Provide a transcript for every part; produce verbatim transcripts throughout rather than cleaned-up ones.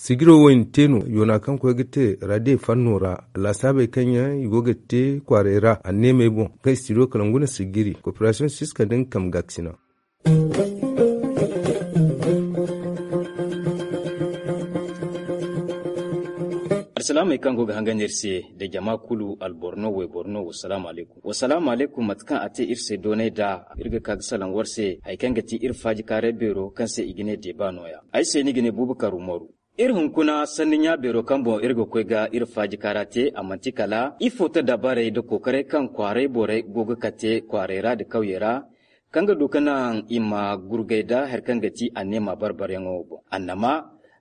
Sijiro wo i na te no yoona kaŋ koy ga te radio fanno ra. Laasaabey kaŋ yaŋ i go ga te kwaaray ra anneemey boŋ kaŋ i studio kala nguna sijiri koperasiyoŋ siska da nga kambe gaakasina. Alsilaamey kaŋ go ga hangan iri se da jama kulu, alboro no wayboro no, wasalaamu alaykum. Wasalaamu alaykum. Mate kaŋ a te iri se doonay da, iri ga ka ga salaŋ war se hari kaŋ ga ti iri faajikaaray beero kaŋ se i ga ne deeba nooya. Ay se ni ga ne buubu karu maru. Iri hunkuna sanni ɲaabeero kaŋ boŋ iri ga koy ga iri faajikaara te, a manti kala ifo ta dabarey nda kookaray kaŋ kwaaray borey go ga kate kwaaray ra nda kawyey ra, kaŋ ga du ga naŋ i ma gurgay nda hari kaŋ ga ti anneema barbaryaŋo boŋ. Annama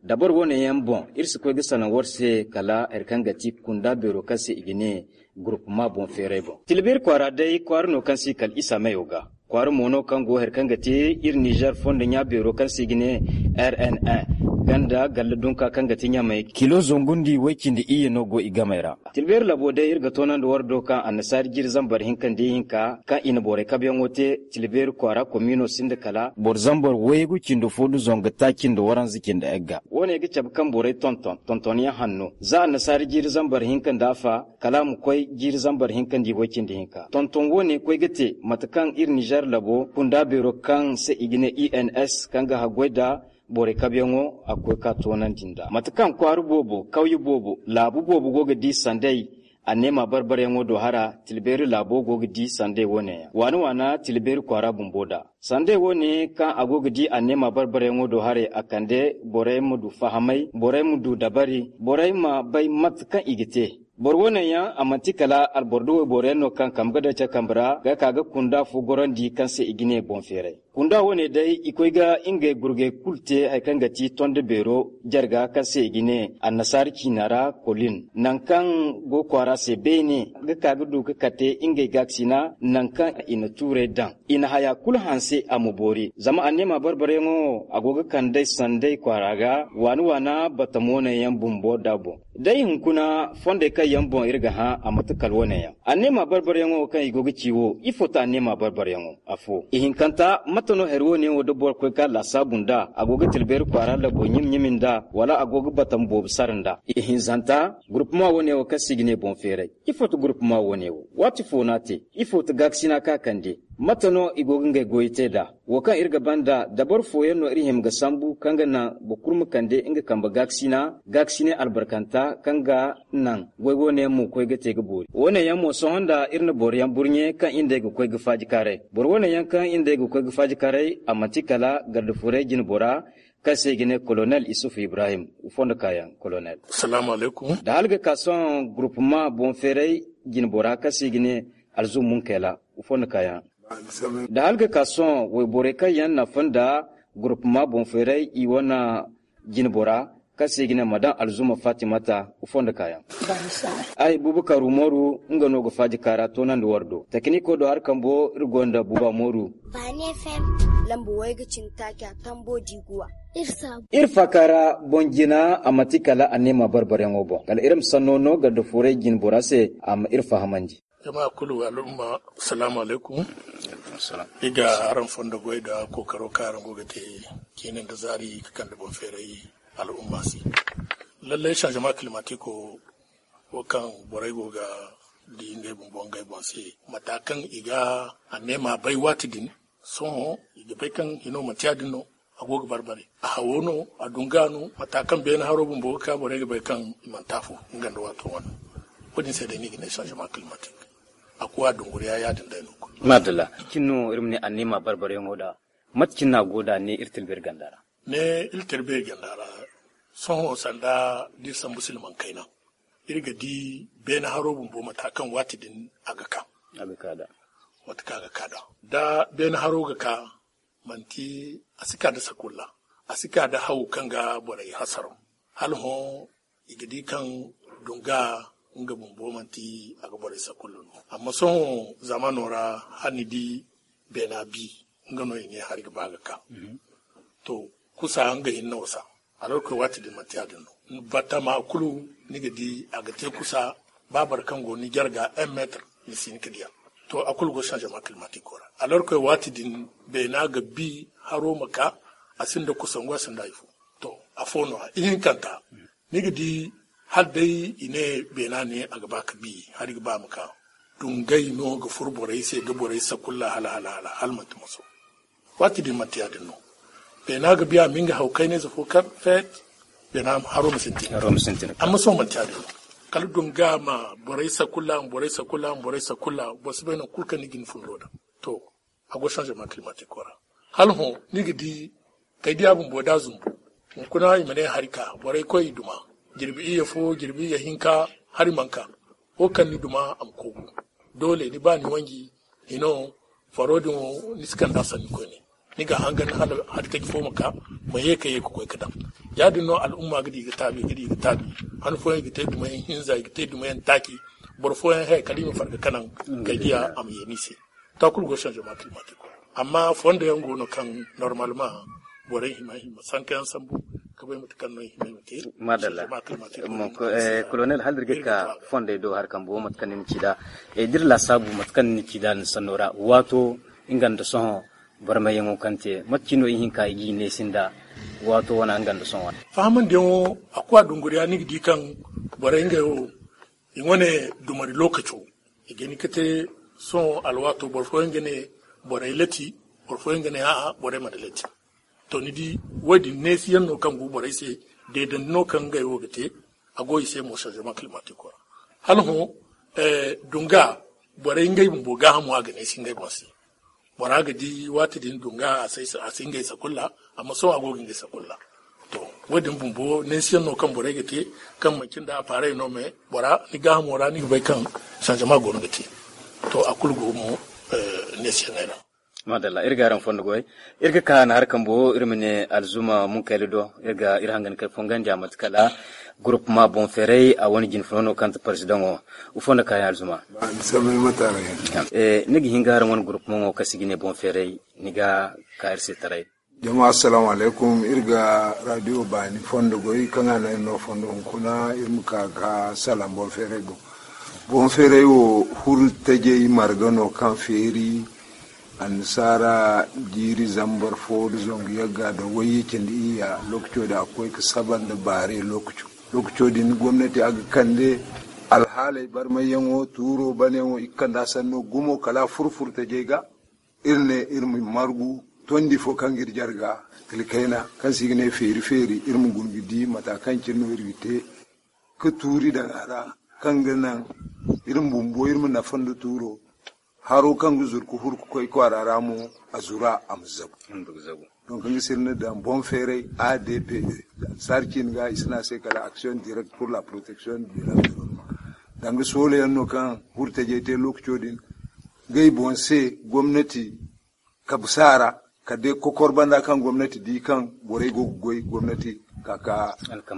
dabari wane yaŋ boŋ, iri si koy ga salaŋ war se kala hari kaŋ ga ti kunda beero kaŋ se i ga ne gurupuma boŋ feeray boŋ. Tilbir kwaara day kwaara no kaŋ si kala isa mayo ga. Kwaara mo no kaŋ go hari kaŋ ga te iri nizer fondo ɲaabeero kaŋ se i ga ne r n n ganda galla dunka kaŋ ga ti ɲamay kilo zangu nda way-cindi iyye no go i gamey ra. Tilbeeri labo day iri ga toonandi war do kaŋ annasaari jiiri zambar hinka nda ihinka kaŋ i na borey kabeyaŋo te. Tilbeeri kwaara komiino sinda kala boro zambar waygu cindi fo nda zangu taaci nda waranza cindi egga. Wo- ne ga cabe kaŋ borey tonton tontonyaŋ hanno za annasaari jiiri zambar hinka nda afa kala a ma koy jiiri zambar hinka nda i way-cindi hinka. Tonton wo- ne koy ga te mate kaŋ iri nizer labo kunda beero kaŋ se i ga ne i n s kaŋ ga haggoy nda borey kabeyaŋo a koy ka toonandi nd'a mate kaŋ kwaara boobo kawye boobo laabu boobo go ga di sanday. Anneema barbaryaŋo do hara tilbeeri laabo go ga di sanday wo- ne yaŋ waana waana tilbeeri kwaara bumbo nd'a. Sanday wo- ne kaŋ a go ga di anneema barbaryaŋo do haray a kande borey ma du fahamay borey ma du dabari borey ma bay mate kaŋ i ga te. Boro wo- ne yaŋ a manti kala alboro da wayboro yaŋ no kaŋ kambe ga daŋ care kambe ra ga ka ga kunda fo gorandi kaŋ se i ga ne boŋ feeray. Kunda wo- ne day i koy ga ngey gurgay kulu te hari kaŋ ga ti tondo beero jarga kaŋ se i ga ne annasaari ciina ra kolin nangu kaŋ go kwaara se beene ga ka ga du ga kate ngey gaakasina nangu kaŋ i na tuurey daŋ i na haya kulu hanse a ma boori zama anneema barbaryaŋo wo a go ga kand'ey sanday kwaara ga waana waana batamo ne yaŋ bumbo nd'a boŋ. Day hunkuna fondey kaŋ yaŋ boŋ iri ga hã a mate kala wo- ne yaŋ anneema barbaryaŋo kaŋ i go ga ci wo ifo ta anneema barbaryaŋo afo ihinkanta mate no hari wo- ne wo da boro koy ga laasaabu nd'a a go ga tilbeeri kwaara labo ɲimi ɲimi nd'a wala a go ga batamo boobo sara nd'a ihinzanta gurupuma wo- ne wo kaŋ se i ga ne boŋ feeray. Ifo ti gurupuma wo- ne wo waati fo no a te? Ifo ti gaakasina kaŋ a kande? Mate no i go ga ngey goyey te nd'a? Wo kaŋ iri ga banda dabari fooyaŋ no iri hima ga sambu kaŋ ga naŋ boro kulu ma kande nga kambe gaakasinay albarkanta kaŋ ga naŋ goy wo- ne yaŋ mo koy ga te ga boori wo- ne yaŋ mo sohõ nda iri na boro yaŋ burɲe kaŋ iri nd'ey ga koy ga faajikaaray boro wo- ne yaŋ kaŋ iri nd'ey ga koy ga faajikaaray a manti kala gardafuray jinbora kaŋ se i ga ne kolonel isufu ibrahim. Fondo kaayaŋ kolonel. Salaamu alaykum. Da hala ga ka sohõ gurupuma boŋ feeray jinbora kaŋ se i ga ne alzum munkela. Fondo kaayaŋ da hala ga ka sohõ wayborey kaŋ yaŋ na fonda gurupuma boŋ feeray i wane jinbora kaŋ se i ga ne madam alzuma fatimata. Fondo kaayaŋ ay bubakar umaru nga no ga faaji kaara toonandi war do takiniko do hari kambo iri gonda buba mooru. Baani fm lamba way ga cin taaci a tambo diiguwa. Iri faaka ra boŋ jina a manti kala anneema barbaryaŋo boŋ kala iri ma sanno no garda fooray jinbora se a ma iri fahamandi. Jama kulu al'umma. Salaamu alaykum. Iri ga araŋ fondo goy nda kookaro kaŋ araŋ go ga te ciine nda zaari ga kande boŋ feeray al'umma se. Lallay sanzema kilimatiko wo kaŋ borey go ga di ngey bumbo ngey boŋ se mata kaŋ i ga anneema bay waati din. Sohõ i ga bay kaŋ hino manti ya- din no. A go ga barbare a hawo no a dunga no mata kaŋ beene haro bumbo ga ka borey ga bay kaŋ i manti afo. Nga nda waato wane wo- din se day no i ga ne sanzema kilimatik. A kuwa dunguriya ya- din day no kulu. Madalla. Cin no iri ma ne anneema barbareyaŋo da mate cin no a go da ne iri tilberi ganda ra? Ne iri tilberi ganda ra sohõ sanda da iri sambu silmaŋ kayna iri ga di beene haro bumbo mata kaŋ waati din a ga ka. Mate kaŋ a ga ka da da beene haro ga ka manti a si ka da sakulla. A si ka da haw kaŋ ga borey hasaraw hala hõ i ga di kaŋ dunga nga bumbo manti a ga borey sakulla no. Amma sohõ zamano ra hala ni di beena bi nga no i ne hari ga ba ga ka. To kusa nga hinne wasa. Alorkoy waati din manti ya- din no batama kulu ni ga di a ga te kusa. Ba boro kaŋ go ni jarga un metre ni si hin ga diya. To a kulu go sanzema kilimatiko ra alorkoy waati din beena ga bi haro ma ka. A sinda kusangu a sinda hari fo. To afo no ya ihinkanta. Ni ga di, hala day i ne beena ne a ga ba ga bi, hari ga ba ma ka. Dungay no ga furo borey se, ga borey sakulla hala hala hala hala manti moso. Waati din manti ya-din no. Beena ga biya ma nga haw kaynayze fo kar feet. Beena haro ma sintin. Amma sohõ manti ya-din no. Kala dunga ma borey sakulla ma borey sakulla ma borey sakulla boro si bay nangu kulu kaŋ ni ga ni fundo daŋ. To, a go changement climatique ra. Hala hõ ni ga di kay diya bumbo da zumbu. Hunkuna i ma ne hari ka borey koy i duma. Jirbi iyye fo jirbi iyye hinka, hari mana ka. Wo kaŋ ni duma a ma kogu. Doole ni ba ni wanji, hino faro din wo ni si kand'a sanni koyne. Ni ga hangan hala hari taji fo ma ka, ma ye ka ye ka koy ga daŋ. Ya-din no al'umma ga di ga taabi ga di ga taabi. Han fooyaŋ i ga te dumayaŋ hinza i ga te dumayaŋ taaci. Boro fooyaŋ he kala i ma farga kanaŋ kay diya a ma ye ni se. To a kulu go changement climatique. Amma fondo yaŋ go no kaŋ normalement borey hima hima sanka yaŋ sambu ka bay mate kaŋ no i hima hima te. Madalla. Changement climatique mo. Colonel, hala iri ga ka fondey do hari kambo mate kaŋ ni na ci nd'a. D'iri laasaabu mate kaŋ ni na ci nd'a ni sanno ra, waato nga nda sohõ barmayyaŋo kaŋ te, mate cine no i hinka i g'i neesi nd'a? Waato wane nga nda sohõ wane fahamandiyaŋo, a koy a dunguriya ni ga di kaŋ borey ngey wo i wane dumari lookaco. I ga hin ga te sohõ alwaato boro fooyaŋ ga ne borey lati, boro fooyaŋ ga ne a'a borey mana lati. To ni di, wo-din neesiyaŋ no kaŋ go borey se. Deedandi no kaŋ ngey wo ga te. A go i se mo changement climatique ra. Hala hõ dunga borey ngey bumbo gaahamo a ga neesi ngey boŋ se. Bora ga di waati din dunga a si ngey sakulla. Amma sohõ a go ga ngey sakulla. To, wo-din bumbo neesiyaŋ no kaŋ borey ga te, kaŋ manci nda appareil no me bora ni gaahamo ra ni ga bay kaŋ changement go no ga te. To a kulu go mo neesiyaŋey ra. Madalla, iri ga araŋ fondo goy. Iri ga ka na hari kambo iri ma ne alzuma munkayla do. Iri ga iri hangan kay fongandi a mate kala groupement boŋ feeray a wane jine funa no kaŋ ti président wo. Ifo nda kaayaŋ alzuma? Ni ga hin ga araŋ wane groupement wo kaŋ se i ga ne boŋ feeray, ni ga ka iri se taray? Jama assalamu alaikum. Iri ga radio baani fondo goy kaŋ a no iri no fondo hunkuna iri ma ka ga salaŋ boŋ feeray boŋ. Boŋ feeray wo huru tajey marga no kaŋ feeri annasaara jiiri zambar fo da zangu yagga da wayye cindi iyya. Lokaco da a koy ga saba nda baare lokaco. Lokaco din gomnati a ga kande alhaaley barmayyaŋo tuuro baneyaŋo i ga kande a sanno gumo kala a furfur tajey ga. Iri ne iri ma margu tondi fo kaŋ ga iri jarga kala kayna kaŋ se i ga ne feeri feeri iri ma guna ga di mata kaŋ cine no iri ga te ga tuuri daŋ a ra kaŋ ga naŋ iri ma bumbo iri ma nafa nda tuuro. Haro kaŋ ga zuru ga huru ga koy kwaara ra mo a zura a ma zagu. Donc nga se iri na daŋ boŋ feeray a d p e. Sarcin ga i si ne a se kala action direct pour la protection de l'environnement. Danga soolayaŋ no kaŋ hurtajey te lokaco din ngey boŋ se gomnati kabsa ra kala day kokor banda kaŋ gomnati di kaŋ borey go ga goy gomnati ka ka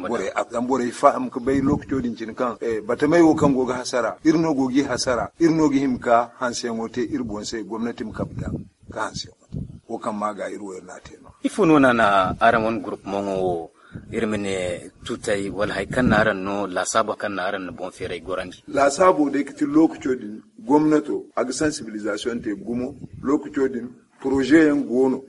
borey a zama borey faham ga bay lokaco din cine kaŋ batamey wo kaŋ go ga hasara iri no go g'i hasara iri no ga hima ka hanseyaŋo te iri boŋ se gomnati ma kabe daŋ ka hanseyaŋo te. Wo kaŋ ma ga iri wo iri n'a te no. Ifo no na na araŋ wane gurupmaŋo wo iri ma ne tutay wala hari kaŋ na araŋ no laasaabo kaŋ na araŋ na boŋ feeray gorandi? Laasaabo day ga ti lokaco din gomnato a ga sensibilisation te gumo. Lokaco din projet yaŋ go no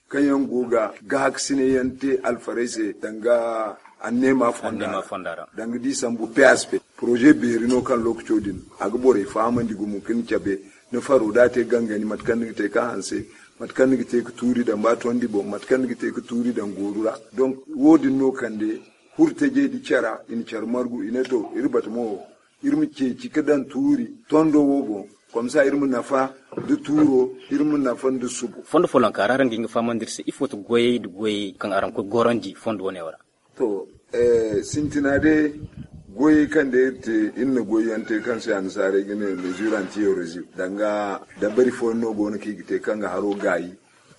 kaŋ yaŋ go ga gaahakasinayaŋ te alfarey se danga anneema fonda ra danga di sambu p s p. Projet beeri no kaŋ lokaco din a ga borey fahamandi gumo ka ni cabe ni faro da a te gangani mate kaŋ ni ga te ka hanse mate kaŋ ni ga te ka tuuri daŋ ba tondi boŋ mate kaŋ ni ga te ka tuuri daŋ gooru ra. Donc wo- din no kande hurtajey da cara i na care margu i ne to iri bata mo iri ma ceeci ka daŋ tuuri tondo wo boŋ. Komsa iri ma nafa nda tuuro iri ma nafa nda subo. Fondo follonka ra araŋ ga hin ga fahamandi iri se ifo ti goyey nda goyey kaŋ araŋ ga koy gorandi fondo wane wo ra? To sintina day goyey kaŋ day iri te iri na goyyaŋ te kaŋ se annasaarey ga ne mesure anti-érosion danga dabari fooyaŋ no go no kaŋ i ga te kaŋ ga haro gaayi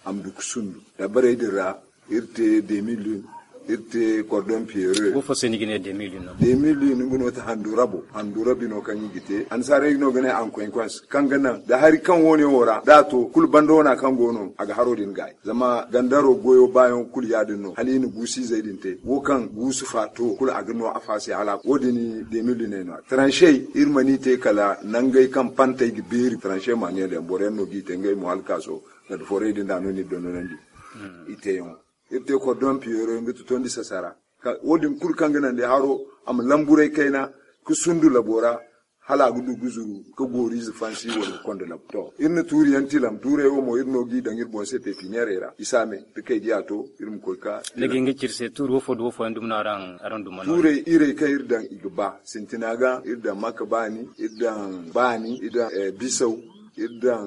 a ma du ga sundu dabarey din ra. Iri te deux mille un, iri te cordon pierreux. Wo fo se ni ga ne deux mille un no? Deux mille un nga no ti handu rabo handu rabi no kaŋ i ga te annasaarey no ga ne ankoynkons kaŋ ga naŋ da hari kaŋ wo- ne wo ra da a to kulu banda wana kaŋ go no a ga haro din gaayi. Zama gandaro goyo baayaŋo kulu ya- din no hala i na guusu izey din te wo kaŋ guusu fa to kulu a ga no a fa se hala wo- din deux mille un no. Tranchey iri mana i te kala nangey kaŋ pantey ga beeri tranchey manuel yaŋ boro yaŋ no g'i te ngey mo hala kaaso nga da forey din da no ni dondonandi i teeyaŋo. Iri te cordon pierreux nga ti tondi sasara Wo- din kulu kaŋ ga naŋ day haro a ma lamburay kayna ka sundu labo ra, hala a ga du ga zuru ka gooriize fansi wala ga konda labo. To, iri na tuuri yaŋ tilam, tuuray wo mo iri no g'i daŋ iri boŋ se pepineerey ra. I saame da kay diya to, iri ma koy ka. Dagi nga ci iri se tuuri wo fo da wo fo yaŋ dumi no araŋ duma no. Tuuray iray kaŋ iri daŋ i ga ba sintina ga iri daŋ maka baani, iri daŋ baani, iri daŋ bisaw, iri daŋ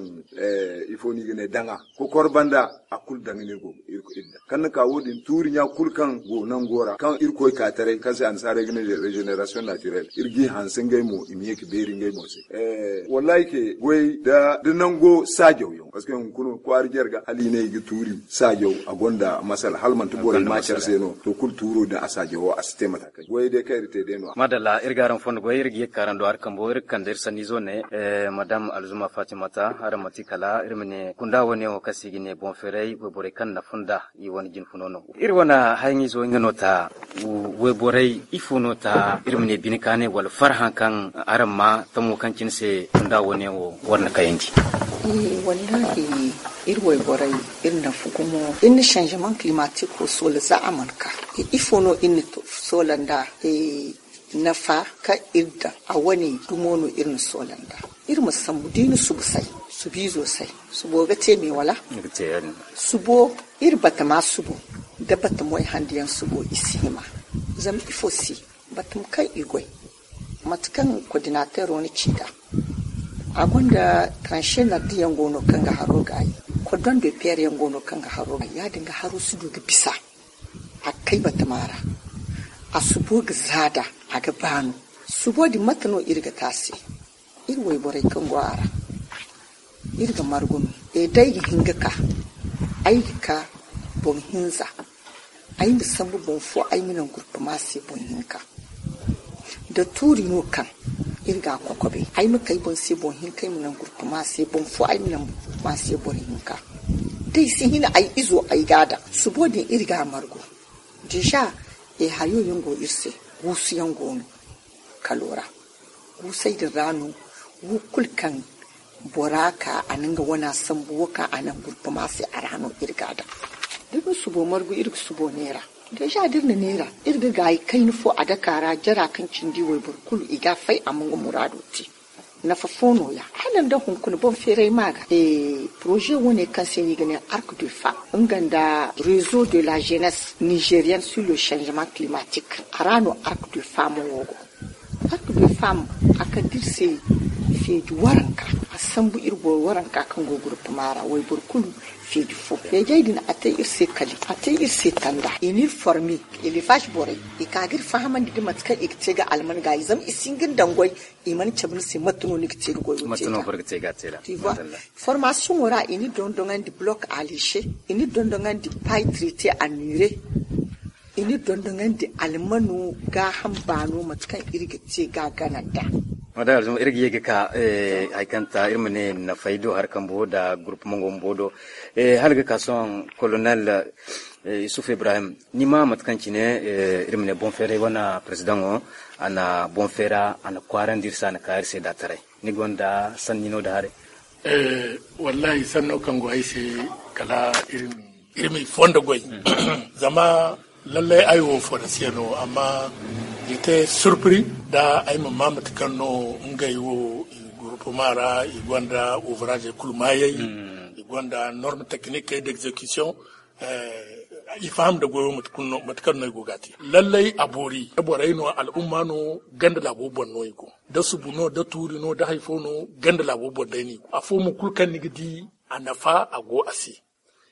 ifo no i ga ne daŋa. Kokor banda a kulu daŋ no iri go ga iri daŋ kaŋ na ka wo- din tuuri ɲa kulu kaŋ go nango ra kaŋ iri koy ka taray kaŋ se annasaarey ga ne regeneration naturelle, iri g'i hanse ngey mo i ma ye ka beeri ngey mo se. Wallahi ke goy da nango saajaw yaŋ parce que hunkuna kwaara jarga hala i ne i ga tuuri saajaw a gonda masala hala manti borey ma care se no. To kulu tuuro din a saajawo a si te mata kaŋ goyey day kaŋ iri te day no. Madalla iri ga araŋ fondo goy iri ga ye ka araŋ do hari kambo iri ga kande iri sanniizo ne madam alzuma fatimata araŋ ma ti kala iri ma ne kunda wane wo kaŋ se i ga ne boŋ feeray wayborey kaŋ na funda i wane jinfuno no. Iri wane hayaŋizo nga no ta wayborey ifo no ta iri ma ne bine kaanay wala farhã kaŋ araŋ ma tamo kaŋ cine se kunda wane wo war na kayandi? Wallahi iri wayborey iri nafa gumo iri na changement climatique wo soola za a mana ka. Ifo no iri na soola nda nafa kaŋ iri daŋ a wane dumo no iri na soola nda. Iri ma sambu da i na subu say subiizo say subo ga te me wala? Subo iri batama subo da batamoy handiyaŋ subo i si hima. Zama ifo se batam kaŋ i goy mate kaŋ kodinateero na ci nd'a a gonda tranche nardiyaŋ go no kaŋ ga haro gaayi. Kodon de peer yaŋ go no kaŋ ga haro gaayi ya- din ga haro si du ga bisa a ga kay batama ra. A subo ga zaada a ga baanu. Subo din mate no iri ga te a se? Iri wayborey kaŋ go a ra iri ga margu no. E da ay ga hin ga ka ay ga ka boŋ hinza ay ma sambu boŋ fo ay ma naŋ gurpama se boŋ hinka. Da tuuri no kaŋ iri ga a kokobe ay ma kay boŋ se boŋ hinka ay ma naŋ gurpama se boŋ fo ay ma naŋ gurpama se boro hinka. Da ay si hin ay izo ay ga a daŋ subo din iri ga a margu. Deja e hayo yaŋ go iri se guusu yaŋ go no kalo ra. Guusey din ra no wo kulu kaŋ bora ka a na nga wana sambu wo kaŋ a naŋ gurpama se a ra no iri ga a daŋ. Da iri na subo margu iri ga subo neera. Deja da iri na neera iri ga gaayi kayna fo a dake a ra jara kaŋ cindi wayboro kulu i ga a fay a ma nga muraado te. Nafa fo no- ya hala nda hunkuna boŋ feeray ma ga. Poroze wane kaŋ se no i ga ne arc de femme nga nda rezo de la jeunesse nigerienne sur le changement climatique a ra no arc de femme wo go. Arc de femme a kande iri se feeji waranka. A sambu iri boro waranka kaŋ go gurpama ra wayboro kulu feeji fo feejey din a te iri se kali a te iri se tanda i n'iri forme. Élevage borey i ka ga iri fahamandi nda mate kaŋ i ga te ga alman gaayi zama i si hin ga ni daŋ goy. I mana cabe ni se mate no ni ga te ga goy wo te ga. Formation wo ra i ni dondoŋandi bloc alise i ni dondoŋandi pay traité annure. I ni dondoŋandi almano gaaham baano mate kaŋ iri ga te ga gana nda. Madame alzuma iri ga ye ga ka hari kaŋ ta iri ma ne nafay do hari kambo nda groupe mongo bumbo do. Hala ga ka sohõ colonel yusuf ibrahim ni ma mate kaŋ cine iri ma ne boŋ feeray wane président wo a na boŋ feera a na kwaarandi iri se a na ka iri se da taray. Ni gonda sanni no da haray? Wallahi sanno kaŋ go ay se kala iri ma i fondo goy. Zama lallay ay wo forestier no amma i te surpri da ay ma ma mate kaŋ no ngey wo i gurpuma ra i gonda ouvrage kulu maayey. I gonda norme technique d'exécution. I faham da goyo mate kaŋ no i go ga te lallay a boori da borey no al'umma no ganda laabo boŋ no i go da subu no da tuuri no da hari fo no ganda laabo boŋ day no i go afo mo kulu kaŋ ni ga di a nafa a go a se.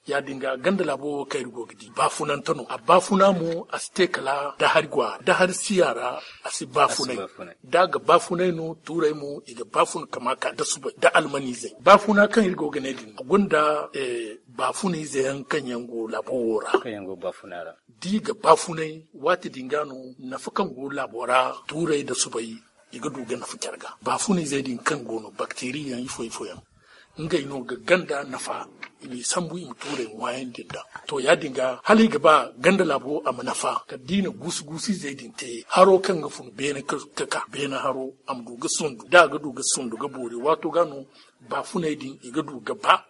Ya- din ga ganda laabo wo kaŋ iri go ga di baafunante no a baafuna mo a si te kala da hari go a ra da hari si a ra. A si baafunay da a ga baafunay no tuurey mo i ga baafuna kama ka da subay da almaniizey baafuna kaŋ iri go ga ne din a gonda baafunayze yaŋ kaŋ yaŋ go laabo wo ra. Da i ga baafunay waati din ga no nafa kaŋ go laabo ra tuurey da subay i ga du ga nafa care ga baafunayzey din kaŋ go no bakteri yaŋ ifo ifo yaŋ ngey no ga ganda nafa. I m'i sambu i ma tuurey ŋwaayandi nd'a. To ya- din ga hala i ga ba ganda laabo a ma nafa kala da i na guusu guusu izey din te haro kaŋ ga fun beene ka ka beene haro a ma du ga sundu da a ga du ga sundu ga boori waato ga no baafuney din i ga du ga ba.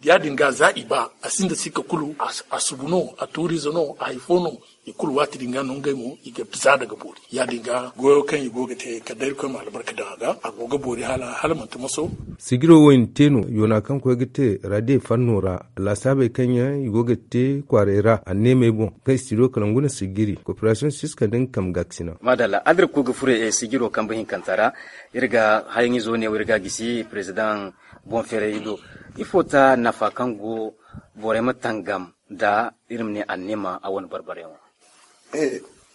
Ya-din ga za i ba a sinda sikka kulu, a subu no, a tuuriize no, a hari fo no. I kulu waati din ga no ngey mo i ga za daga boori. Ya-din ga goyo kaŋ i go ga te kala day irkoy ma albarka daŋ a ga, a go ga boori hala manti moso. Sijiro wo i na te no yoona kaŋ koy ga te radio fanno ra, laasaabey kaŋ yaŋ i go ga te kwaaray ra anneemey boŋ kaŋ studio kala ngu na sijiri koperasiyoŋ siska nda nga kambe gaakasina. Maadalla, adira ku ga furo sijiro kambe hinkanta ra. Iri ga hayaŋizo ne wo iri ga a gisi perezidaŋ boŋ feeray do. Ifo ta nafa kaŋ go borey ma tangam nda iri ma ne anneema a wane barbaryaŋo?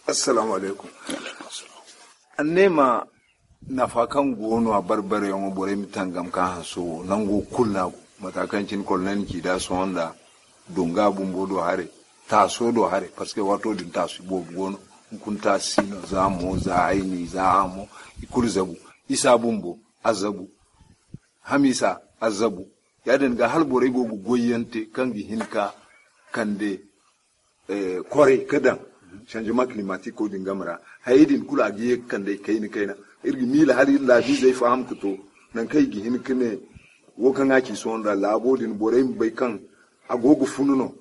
Assalaamu alaykum. Anneema nafa kaŋ go no a barbaryaŋo borey ma tangam ka hanso wo nango kulu no a go. Mata kaŋ cine kolonel na ci da sohõ nda dunga bumbo do haray, taaso do haray, parce que waato din taasu boobo go no. Hunkuna taasu si no, za mo, za hayni, za hamo, i kulu zabu. Isa bumbo a zabu. Hamiisa a zabu. Ya-din ga hala borey go ga goyyaŋ te kaŋ ga hin ka kande kwaray ka daŋ shanjema kilimatiko din game ra. Hayey din kulu a ga ye ga kande i kayna kayna. Iri ga miila hala iri laabiizey faham ga to nangu kaŋ i ga hin ga ne wo kaŋ a ci sohõ nda laabo din borey ma bay kaŋ a go ga funu no.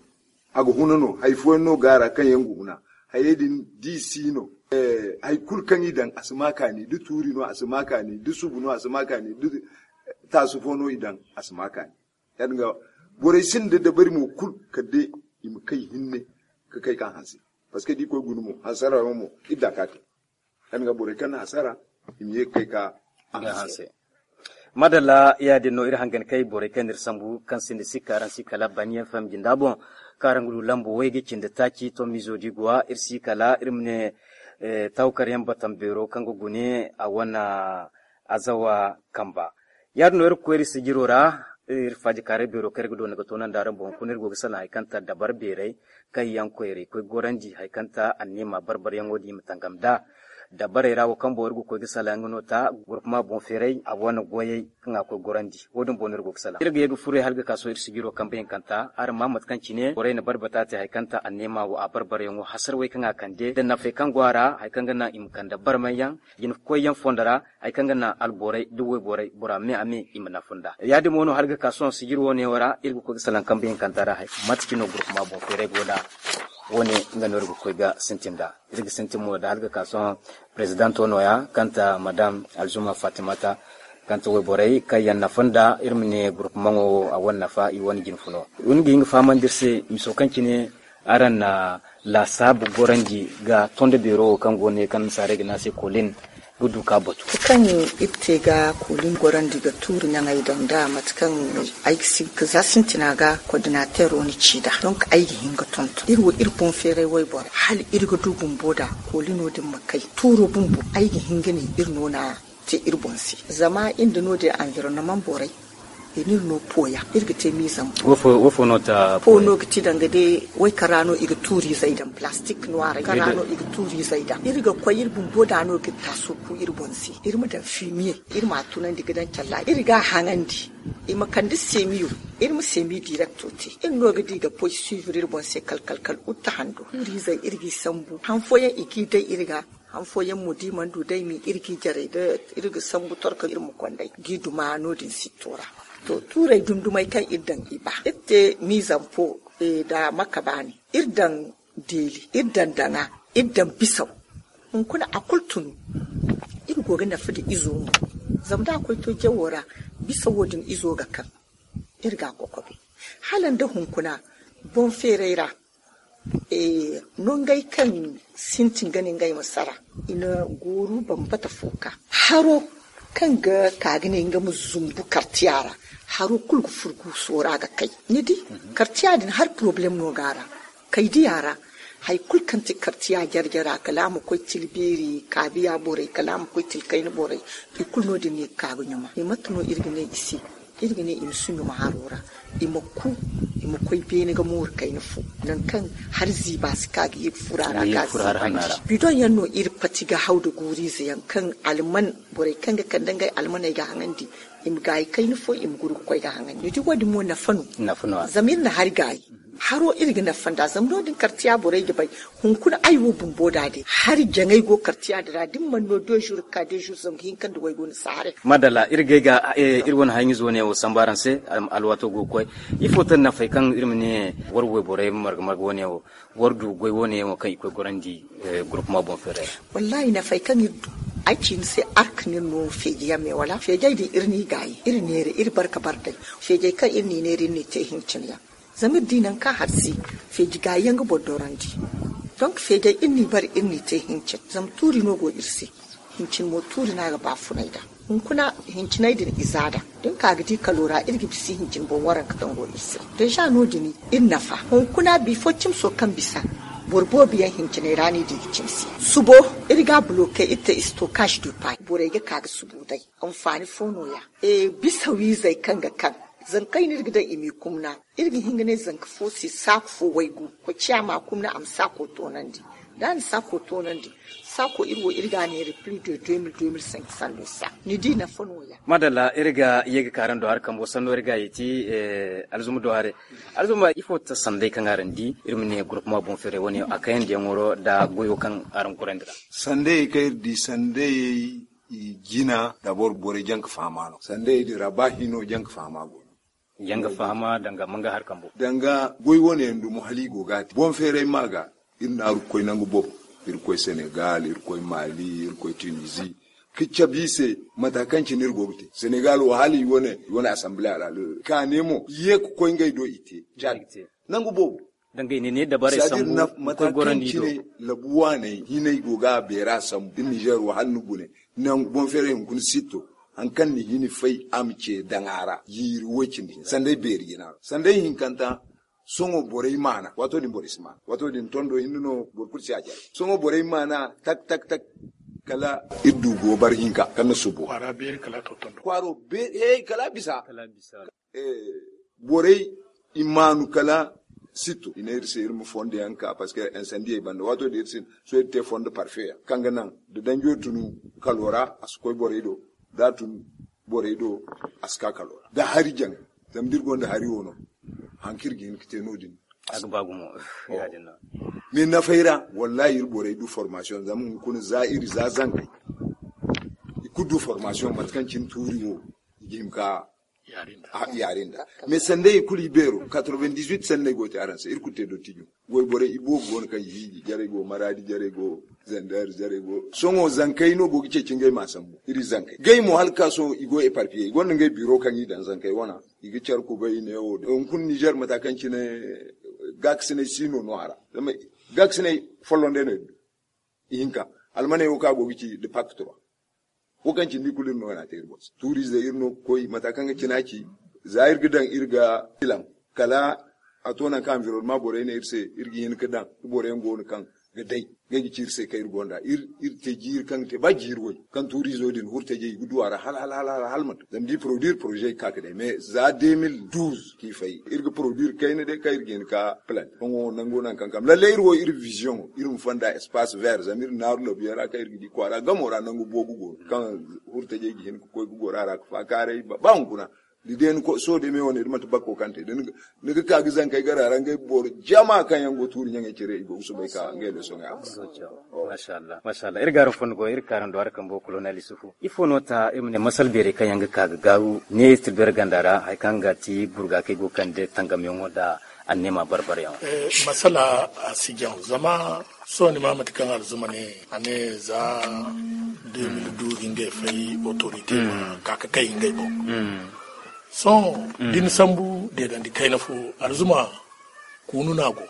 A ga huna no hari fooyaŋ no go a ra kaŋ yaŋ ga huna. Hayey din da i si no hari kulu kaŋ i daŋ a si ma kaani, da tuuri no a si ma kaani, da subu no a si ma kaani, da taasu fo no i daŋ a si ma kaani. Ya-din ga borey sinda dabari mo kulu kala day i ma kay hinne ka kay ka hanse. Parce que da i koy guna mo hansarayaŋo mo iri da ka te. Ya-din ga borey kaŋ na hasara i ma ye ga kay ka hanse. Madalla, ya-din no iri hangan kay borey kaŋ n'iri sambu kaŋ sinda sikka araŋ si kala baniyaŋ faham jinda boŋ kaŋ araŋ ga du lambo way ga cindi taaci tommizo di go wa iri si kala iri ma ne tawkaryaŋ batam beero kaŋ ga gune a wane azawa kamba. Ya-din no iri ga koy iri sijiro ra. Iri faajikaaray beero kaŋ iri ga doona ga toonandi araŋ boŋ hunkuna iri go ga salaŋ hari kaŋ ta dabar beeray kaŋ yaŋ koyray koy gorandi hari kaŋ ta anniima barbaryaŋo din i ma tangam nd'a dabarey ra wo kaŋ boŋ iri ga koy ga salaŋ nga no ta gurpuma boŋ feeray a wane goyey kaŋ a koy gorandi. Wo-din boŋ no iri go ga salaŋ iri ga ye ga furo hala ga ka sohõ iri sijiro kambe hinkanta araŋ ma mate kaŋ cine borey na barbata te hari kaŋ ta anniima wo a barbaryaŋo hasara way kaŋ a kande nda nafey kaŋ go a ra hari kaŋ ga naŋ i ma kande barmayyaŋ jina koyyaŋ fondo ra. Hari kaŋ ga naŋ alborey da wayborey bora me a me i ma nafa nd'a ya-din mo no hala ga ka sohõ sijiri wo ne wo ra iri ga koy ga salaŋ kambe hinkanta ra hari mate cine no gurpuma boŋ feeray go nd'a. Wo-ne nga no iri ga koy ga sintin nd'a iri ga sintin mo da hala ga ka sohõ perezidanto nooya kaŋ ta madam alzuma fatimata kaŋ ta wayborey kaŋ yaŋ nafa nd'a iri ma ne gurpumaŋo wo a wane nafa i wane jinfuno. Iri ga hin ga fahamandi iri se miso kaŋ cine araŋ na laasaabu gorandi ga tondo beero wo kaŋ go ne kaŋ nasaarey ga ne a se kolin ga du ka batu kaŋ iri te ga kolin gorandi ga tuuri naŋey daŋ da mate kaŋ ay ga si ga za sintina ga kordinatero ni ci da donk ay ga hin ga tonton iri wo iri boŋ feeray wayboro hala iri ga du bumbo da kolino din ma kay tuuro bumbo ay ga hin ga ne iri no na te iri boŋ se zama iri nda no-din anvironnement borey i n'iri no poya iri ga te mizam po no ga ti danga day way kaŋ ra no i ga tuuri izey daŋ plastik noir kaŋ ra no i ga tuuri izey daŋ iri ga koy iri bumbo da no ga taaso ku iri boŋ se iri ma daŋ fimiye iri ma a tunandi ga daŋ calla iri ga a haŋandi i ma kande semiyo iri ma semi direkto te iri no ga di ga poy suivre iri boŋ se kal kal kal utta hando tuuri izey iri g'i sambu han fooyaŋ i g'i day iri ga han fooyaŋ mo da i mana du day mi iri g'i jaray da iri ga sambu torko iri ma konday g'i duma no-din sitto ra. To tuurey dundumey kaŋ iri daŋ i ba iri te mizampo nda makabaani iri daŋ deeli iri daŋ daŋa iri daŋ bisaw hunkuna a kulu tunu iri go ga nafa nda izo mo zama da a koy to jawo ra bisawo din izo ga kaŋ iri ga a kokobe hala nda hunkuna boŋ feeray ra nongey kaŋ sintin ga ne ngey ma sara i na gooru bambata fo ka haro kaŋ ga ka ga ne nga ma zumbu kartiya ra haro kulu ga furgu soora ga kay ni di kartiya din har poroblem no ga ra kay diya ra hari kulu kaŋ ti kartiya jare-jare a kala a ma koy tila beeri kaabiya borey kala a ma koy tila kayna borey i kulu no- din no i ga ka ga ɲuma i mate no iri ga ne i se iri ga ne i ma si ɲuma haro ra i ma ku i ma koy beene ga mooru kayna fo nangu kaŋ hari ziiba si ka ga ye ga furo a ra ga ziiba bidoŋ yaŋ no iri pati ga haw nda guuriize yaŋ kaŋ alman borey kaŋ ga kande ngey almaney ga haŋandi i ma gaayi kayna fo i ma guru ga koy ga haŋandi ni di wo- din mo nafa no zama iri na hari gaayi Haro iri ga nafa nda zama no- din kartiya borey ga bay. Hunkuna ay wo bumbo da day hari jaŋay go kartiya din ra da ni mana no deux jours ga ka deux jours zangu hinka nda waygu ni si haray. Madalla iri gay ga iri wane haɲizo wane wo samba araŋ se. Alwaato go ga koy. Ifo te nafay kaŋ iri ma ne war wayborey marga marga wane wo war du goy wane wo kaŋ i koy gorandi? Gurupuma boŋ feeray. Wallaahi nafay kaŋ iri du ay ci ni se ark no iri no feeji yaŋ me wala feejey din iri n'i gaayi iri neera iri barka bar day. Feejey kaŋ iri n'i neera iri n'i te hincin yaŋ. Zama iri di nangu kaŋ hari si feeji gaayi yaŋ ga boro dorandi. Donk feejey iri n'i bare iri n'i te hincin zama tuuri no go iri se. Hincin mo tuuri no a ga baafunay nd'a. Hunkuna hinciney din i za nd'a da ni ka ga di kalo ra iri ga bisa hincin boŋ waranka kaŋ go iri se. Deeza no- din iri nafa hunkuna bifo cimso kaŋ bisa boro boobo yaŋ hinciney ra no i di ga cimsi. Subo iri ga a buloke iri te istokaaz du pay borey ga ka ga subo day. Anfaani fo no- ya bisa wiizey kaŋ ga kaŋ zankey no iri ga daŋ i m'i kumna. Iri ga hin ga ne zanka fo se saako fo waygu koy ciya ma kumna a ma saako toonandi. Da a na saako toonandi saako iri wo iri ga a neera plis de deux mille deux mille cinq cent de sa ni di nafa no- ya. Madalla iri ga ye ga ka araŋ do hari kambo sanno iri ga a yeeti. Alzuma do hare. Alzuma ifo ta sanday kaŋ araŋ di iri ma ne gurupuma boŋ feeray wane a kayandi yaŋ waro nda goyo kaŋ araŋ gorandi ra. Sanday kaŋ iri di sanday i jina dabor borey jaŋ ga fahama no sanday din ra ba hino jaŋ ga fahama go no. Jaŋ ga fahama danga manga hari kambo danga goy wane yaŋ dumo hala i go ga a te boŋ feeray ma ga. Iri naaru ga koy nangu boobo iri ga koy senegal iri ga koy mali iri ga koy tunisie ka cabe i se. Mata kaŋ cine iri go ga te senegal wo hala i wane i wane asamble a ra ka ne mo i ye ga koy ngey do i te cad nangu boobo. Danga i ne ne dabarey sambu mata kaŋ cine labu waaney hinay go ga a beera sambu iri nizer wo hala ni gune nangu boŋ feeray hunkuna sitto. Hari kaŋ ni hini fay a ma ce daŋ a ra jiiri way cindi hinza sanday beeri jina ra sanday hinkanta. Sohõ borey maana waato din borey si maana waato din tondo hinne no boro kulu si a jare. Sohõ borey maana tak tak tak kala iri du goobar hinka kaŋ na subo kwaara beeri kala a to tondo kwaaro beeri hey kala a bisa. Borey i maanu kala sitto i ne iri se iri ma fondo yaŋ ka parce que insandi ay banda waato din iri se sohõ iri te fondo parfe yaŋ kaŋ ga naŋ da danjo tunu kalo ra a si koy borey do da a tun borey do a si ka kalo ra da hari jaŋ. Zama da iri gonda hari wo no hari kaŋ iri ga hin ga te no- din. A ga ba gumo. Ya- din no. Mais nafay ra wallahi iri borey du formation zama hunkuna za iri za zankey i kulu du formation mate kaŋ cine tuuri wo i ga hima ka yaari nda mais sanday i kulu i beero quatre-vingt-dix-huit sanday go te araŋ se iri kulu te dottijo. Goy borey i boobo go no kaŋ i hiiji jarey go maradi jarey go zander jarey go sohõ zankey no go ga ceeci ngey ma sambu iri zankey gay mo hala ka sohõ i go eparpiye i gonda ngey biro kaŋ i daŋ zankey wana. I ga care kubay i ne wo hunkuna nizer mata kaŋ cine gaakasinay si no no a ra. Zama gaakasinay folloŋ day no iri du. Ihinka almaney wo kaŋ a go ga ci de pakt trois wo kaŋ cindi kulu iri no wana te iri boŋ se tuuriize iri no ga koy mata kaŋ ga cina ci. Za iri ga daŋ iri ga filaŋ kala a to nangu kaŋ anvironnement borey ne iri se iri ga hin ga daŋ. Boro yaŋ go no kaŋ ga day ngey ga ci iri se kaŋ iri gonda iri te jiiri kaŋ ga te ba jiiri way kaŋ tuuriizo din hurtajey i ga du a ra hala hala hala hala hala manti zama da i produire projet ga ka ga day mais za deux mille douze kaŋ i fay iri ga produire kayna day kaŋ iri ga hin ka plant. Sohõ nango nangu kaŋ kam lalle iri wo iri vision iri ma fonda espace vert zama iri naaru labuyaŋ ra kaŋ iri ga di kwaara gamo ra nangu boobo go no kaŋ hurtajey ga hin ga koy ga goro a ra ga faakaaray ba hunkuna. Da day ni sohõ day me wane da manti bakko kaŋ te da ni ga ka ga zankey gara ra ngey boro jama kaŋ yaŋ go tuuri ɲaŋey cire i go ga soobay ka ngey leesoŋey a. Mashallah mashallah iri ga araŋ fondo go iri kaaraŋ do araŋ kambo kolonel isufu ifo no ta iri ma ne masal beerey kaŋ yaŋ ga ka ga gaaru ne tirbeere ganda ra hari kaŋ ga ti burga kaŋ ay go ga kande tangamyaŋo nda anneema barbaryaŋo. Masala a si jaŋ zama sohõ ni ma mate kaŋ alzuma ne a ne za deux mille douze ngey fay autorité ma ka ga kay ngey boŋ. Sohõ da ni sambu deedandi kayna fo alzuma kuunu no a go.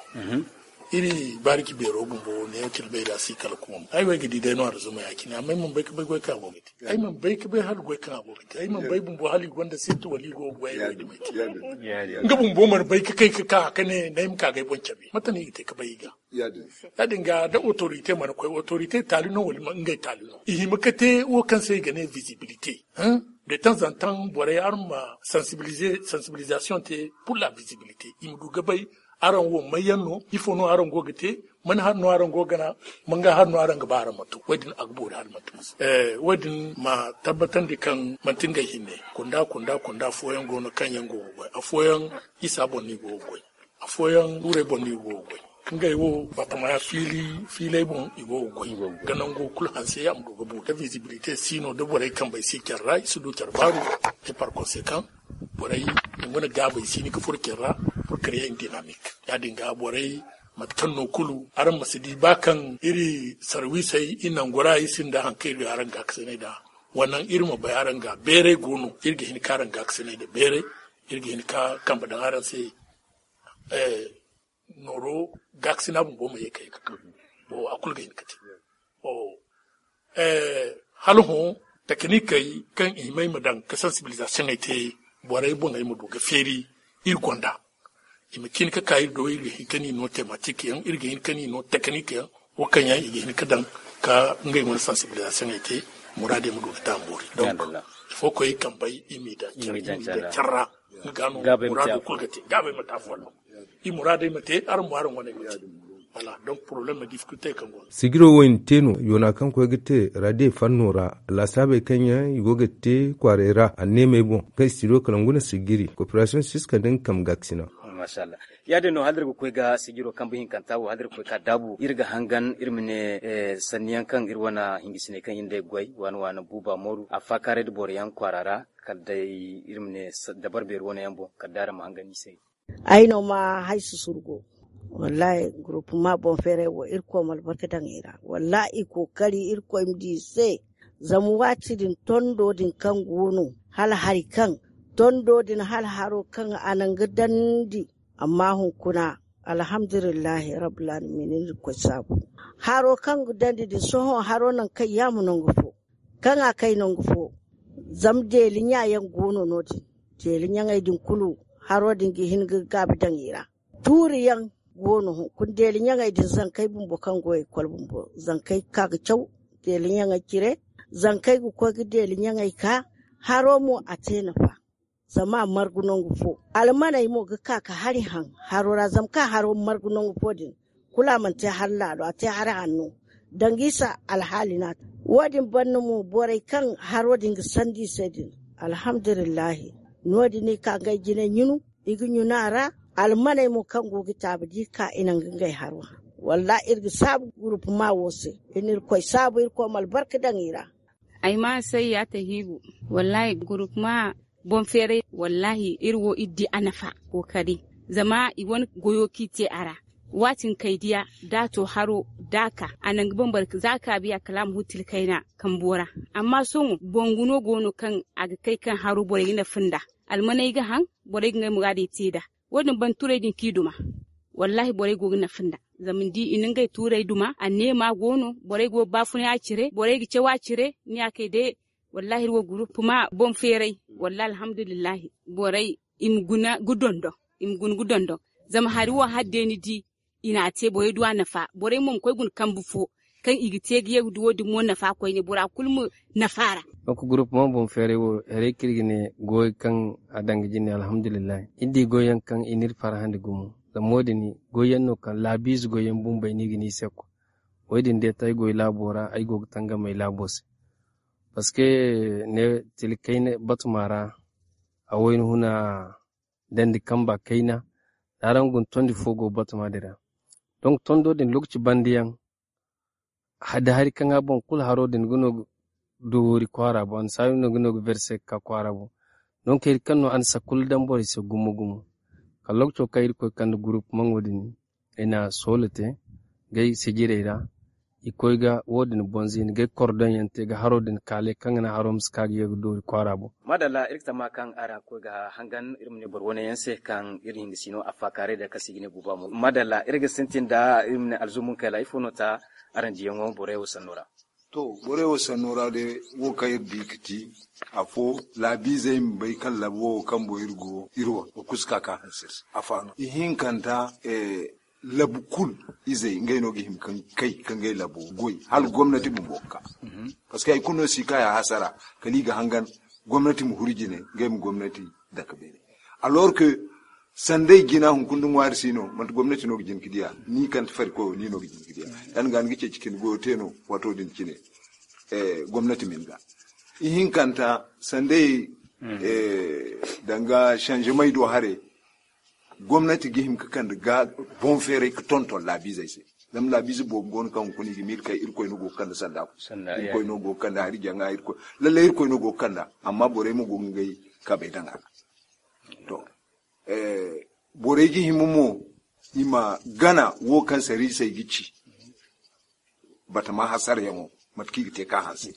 Iri bariki beero bumbo neewo cire bayra si kala kuunu ay wo ay ga di day no alzuma ya- cine amma ay mana bay ga bay goy kaŋ a go ga te. Ay mana bay ga bay hala goy kaŋ a go ga te ay mana bay bumbo hala i gonda sirti wala i go ga goy ay wo ay ga bay. Nga bumbo mana bay ga kay ga ka ga ne na ay ma ka ga ay boŋ cabe mate no i ga te ga bay i ga. Ya- din ga da autorité mana koy autorité taali no wala ngey taali no i hima ga te wo kaŋ se i ga ne visibilité. De temps en temps borey araŋ ma sensibilisation te pour la visibilité i ma du ga bay. Araŋ wo mayyaŋ no ifo no araŋ go ga te? Mana hari no araŋ go ga gana? Manga hari no araŋ ga ba araŋ ma to wo- din a ga boori hala manti masa wo- din ma tabbatandi kaŋ manti ngey hinne kunda kunda kunda afooyaŋ go no kaŋ yaŋ go ga goy afooyaŋ isa boŋ no i go ga goy. Fooyaŋ tuurey boŋ no i go ga goy. Ngey wo batama fiili fiiley boŋ i go ga goy. Ga nango kulu hanse a ma du ga boori da visibilité si no da borey kambey si care ra i si du care baaru. Et par conséquent borey i mana gaabay si ni ga furo care ra pour créer une dynamique. Ya- din ga borey mate kaŋ no kulu araŋ ma si di ba kaŋ iri sarwisey i nangu ra i sinda haŋ kaŋ iri ga araŋ ga kasinay da. Wannan iri ma bay araŋ ga beeray go no iri ga hin ka araŋ ga kasinay da beeray. Iri ga hin ka kambe daŋ araŋ se. Nooro gaakasina bumbo ma ye ka ye ka ka. Wo a kulu ga hin ka te. Hala hõ takinikey kaŋ i himay ma daŋ ka sansibilizasiyoŋey te borey boŋey ma du ga feeri iri gonda. I ma cin ka ka iri do iri ga hin ka ni no tematik yaŋ iri ga hin ka ni no takinik yaŋ wo kaŋ yaŋ i ga hin ka daŋ ka ngey wane sansibilizasiyoŋey te muraadey ma du ga daŋ boori. Donk ifo koy kambey i m'i daŋ care ra. Nga no muraado kulu ga te gaabay ma te afo no. I muraadey ma te araŋ mo araŋ wane ma te. Voilà, donc problème ma difficulté kaŋ go no. Sijiro wo i na te no yoona kaŋ koy ga te radio fanno ra. Laasaabey kaŋ yaŋ i go ga te kwaaray ra anneemey boŋ kaŋ studio kala nguna sijiri coopération siska nda nga kambe gaakasina. Masha Allah. Ya- din no hala iri ga koy ga sijiro kambe hinkanta wo hala iri ga koy ka daabu iri ga hangan iri ma ne sanni yaŋ kaŋ iri wane hingisiney kaŋ iri nd'ey ga goy waana waana buuba mooru a faakaaray nda boro yaŋ kwaara ra. Kala day iri ma ne dabar beeri wane yaŋ boŋ kala day araŋ ma hangan i se. Ay no ma hay susurgo. Wallahi groupe ma boŋ feeray wo irkoy ma albarka daŋ i ra. Wallahi i kookari irkoy ma di i se. Zama waati din tondo din kaŋ go no hala hari kaŋ tondo din hala haro kaŋ a naŋ ga dandi. Amma hunkuna alhamdulillahi rabbil alamin irkoy saabu. Haro kaŋ ga dandi din sohõ haro naŋ kaŋ yaama nangu fo kaŋ a kay nangu fo. Zama deeli ɲa yaŋ go no no- din deeli ɲaŋey din kulu haro din ga hin ga gaabi daŋ i ra. Tuuri yaŋ go no hunkuna deeli ɲaŋey din zankey bumbo kaŋ go ekol bumbo zankey ga ka ga caw deeli ɲaŋey cire. Zankey ga koy ga deeli ɲaŋey ka haro mo a te nafa. Zama a margu nangu fo almaney mo ga ka ka hari haŋ haro ra zama kaŋ haro margu nangu fo din kulu a mana te hari laalo a te hari hanno. Danga isa alhaali no a te wo- din banda mo borey kaŋ haro din ga sandi i se din. Alhamdulillahi no- din i ka ngey jinay ɲunu i ga ɲunu a ra. Almaney mo kaŋ go ga taabi da i ka i naŋ ga ngey haro haŋ. Wallahi iri ga saabu gurupuma wo se. Iri na irkoy saabu irkoy ma albarka daŋ i ra. Ay ma say ya ta hiigu. Wallahi gurupuma boŋ feeray wallahi iri wo iri di a nafa kookari. Zama i wane goyo kaŋ i te a ra waati kaŋ ay diya da a to haro da a ka a naŋ ga bambara za a ka biya kala a ma huttil kayna kambo ra. Amma sohõ bangu no go no kaŋ a ga kay kaŋ haro borey ga nafa nd'a. Almaney ga haŋ borey ga ngey muraadey te nd'a. Wo- din ban turay din kaŋ i duma. Wallahi borey go ga nafa nd'a. Zama ni di i na ngey turay duma anneema go no borey go ga baafunay a cire borey ga caw a cire ni ya kay day. Wallahi iri wo gurupuma boŋ feeray. Wallahi alhamdulillahi borey i ma guna ga dondon. I ma guna ga dondon. Zama hari wo hari day ni di i n'a te borey du a nafa borey mo ma koy guna kambe fo kaŋ i ga te ga ye ga du wo- din mo nafa koyne bora kulu ma nafa a ra. Donk gurupuma boŋ feeray wo haray kaŋ iri ga ne goy kaŋ a daŋ ga jine alhamdulillahi iri di goy yaŋ kaŋ i n'iri farhandi gumo. Zama wo- din goy yaŋ no kaŋ laabiize goy yaŋ bumbey no i ga ne i se koy. Wo- din day te ay goy laabo ra ay go ga tangam ay laabo se. Parce que ne tila kayna batuma ra a wayna huna dandi kamba kayna da araŋ guna tondi fo go batuma din ra. Donk tondo din lokaci banda yaŋ da hari kaŋ a boŋ kulu haro din ga no ga doori kwaara boŋ annasaari no ga no ga verse ga ka kwaara boŋ. Donk hari kaŋ no a na sakkulu daŋ borey se gumo gumo kala lokaco kaŋ irkoy kande gurupmaŋo din i na soola te gay sijirey ra. I koy ga wo- din boŋ ziini gay kordonyaŋ te ga haro din kaalay kaŋ ga naŋ haro ma si ka ga ye ga doori kwaara boŋ. Madalla iri ga tama kaŋ araŋ ga koy ga hangan iri ma ne boro wane yaŋ se kaŋ iri na hin ga sino a faakaaray da kaŋ se i ga ne buuba mo madalla iri ga sintin da iri ma ne alzumun kayla ifo no ta araŋ diyaŋo borey wo sanno ra. To borey wo sanno ra day wo kaŋ iri di ga ti afo laabiizey ma bay kaŋ labo wo kaŋ boŋ iri go iri wane ga kusa ka ka hanse iri se. Afa no ihinkanta labu kulu izey ngey no ga hima ka kay ka ngey labo goy hala gomnati bumbo ga ka. Parce que hari kulu no si kay a hasara kala i ga hangan gomnati ma huru jine ngey ma gomnati dake beene. Alors que sanday jina hunkuna nda ŋwaari si no manti gomnati no ga jin ga diya ni kante farikoy wo ni no ga jin ga diya. Yaŋ ga ni ga ceeci ka ni goyo te no waato din cine gomnati ma ni ga ihinkanta sanday danga changement do hare. Gomnati ga hima ga kande ga boŋ feeray ga tonton laabiizey se. Zama laabiize boobo go no kaŋ hunkuna i ga miila kay Irkoy no go ga kande sanda fo. Irkoy no go ga kande hari jaŋa. Irkoy lallay Irkoy no go ga kanda, amma borey mo go ga ngey kabey daŋ a ra. To, borey ga hima mo i ma gana wo kaŋ sariisey ga ci. Batama hasarayaŋo, mate kaŋ i ga te ka hanse.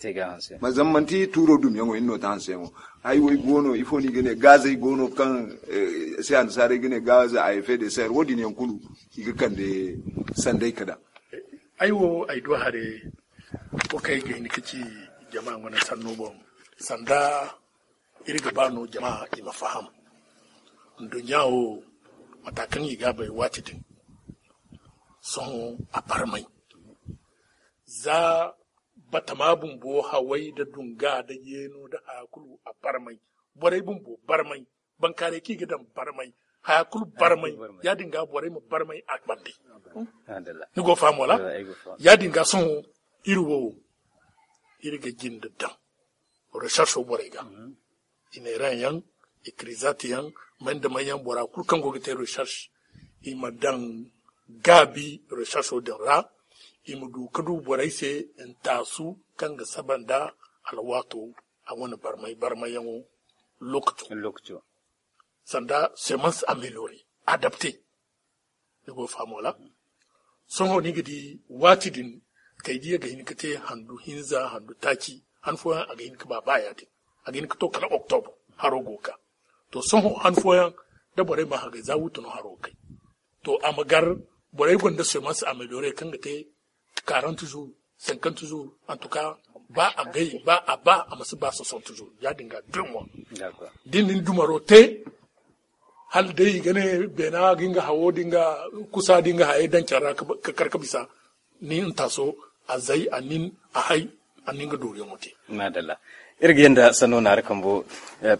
Ma zama manti tuuro dumyaŋo hinne no ta hanseyaŋo. Hay wo i go no ifo no i ga ne gaazey go no kaŋ se annasaarey ga ne gaaze a effet de serre wo- din yaŋ kulu i ga kande sanday ka daŋ. Ay wo ay du hare wo kaŋ ay ga hin ka ci jama wane sanno boŋ. Sanda iri ga ba no jama i ma faham. Nduɲɲa wo mata kaŋ i ga a bay waati din, sohõ a barmay. Za batama bumbo haway da dunga da yeeno da haya kulu a barmay. Borey bumbo barmay. Bankaaray kaŋ i ga daŋ barmay. Haya kulu barmay. Ya- din ga borey ma barmay a bande. Ni go faham wala? Ya- din ga sohõ iri wo iri ga jinde daŋ recherche borey ga. Ineran yaŋ, ikrizat yaŋ, may nda may yaŋ bora kulu kaŋ go ga te recherche i ma daŋ gaabi recherche din ra. I ma du ka du borey se ntaasu kaŋ ga saba nda alwaato a wane barmay barmayyaŋo. Lokaco sanda semence améliorée, adapté. Ni go faham wala? Sohõ ni ga di waati din kay diya ga hin ka te handu hinza handu taaci. Han fooyaŋ a ga hin ka ba ba ya din a ga hin ka to kala octobre haro go ka. To sohõ han fooyaŋ da borey ma hagay za wutu no haro ga kay. To a ma gar borey gonda semence améliorée kaŋ ga te quarante jours, cinquante jours, en tout cas ba a gay ba a ba a ma si ba soixante jours. Ya- din ga deux mois. Din nin dumaro te hala day i ga ne beena ga nga hawo da nga kusa da nga hayey daŋ care ra ka kar ka bisa. Ni ntaaso a zay a nin a hay a nin ga dooriyaŋo te. Madalla. Iri ga yanda sanno naari kambo.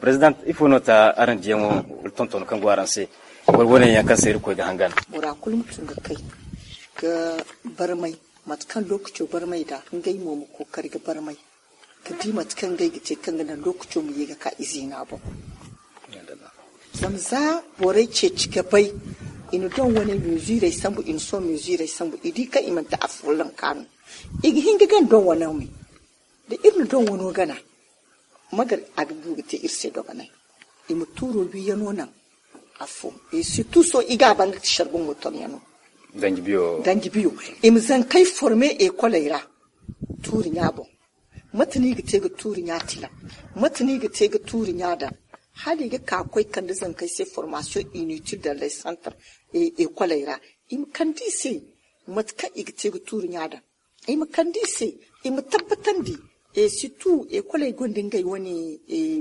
Président, ifo no ta araŋ diyaŋo wala tonton kaŋ go araŋ se? Wala wane yaŋ kaŋ se iri koy ga hangan bora kulu ma tun ga kay ga barmay mate kaŋ lokaco barmay da ngey mo ma kookari ga barmay ka di mate kaŋ ngey ga te kaŋ ga naŋ lokaco ma ye ga ka izeena boŋ. Zama za borey ceeci ga bay i na doŋ wane mezirey sambu i na sohõ mezirey sambu i di kaŋ i manti afolloŋ ka no i ga hin ga gana doŋ wane me. Da iri na doŋ wano gana magar a ga du ga te iri se dogonay. I ma tuuro wiiyano naŋ afo. Surtout sohõ i ga a ba nga ti sharboŋo toŋyano danji biyo i ma zankey forme ekoley ra. Tuuri ɲa boŋ mate no i ga te ga tuuri ɲa tilaŋ? Mate no i ga te ga tuuri ɲa daŋ hala i ga ka koy kande zankey se formation inutile dans les centres ekoley ra. I ma kande i se mate kaŋ i ga te ga tuuri ɲa daŋ. I ma kande i se i ma tabbatandi. Surtout ekoley gonda ngey wane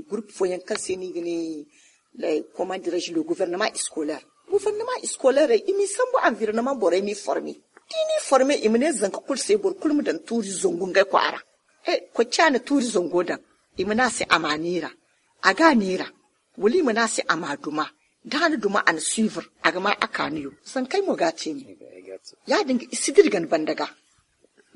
groupe fooyaŋ kaŋ se no i ga ne comment dirais-je le gouvernement scolaire. Gouvernement scolaire i m'i sambu environnement borey m'i forme. Da i n'i forme i ma ne zanka kulu se boro kulu ma daŋ tuuri zangu ngey kwaara. Koy ca na tuuri zango daŋ i ma ne a se a ma a neera. A ga a neera wala i ma ne a se a ma a duma. Da a na duma a na suivre a ga ma a kaaniyo zankey mo ga a te ne. Ya- din ga i si dira gana banda ga.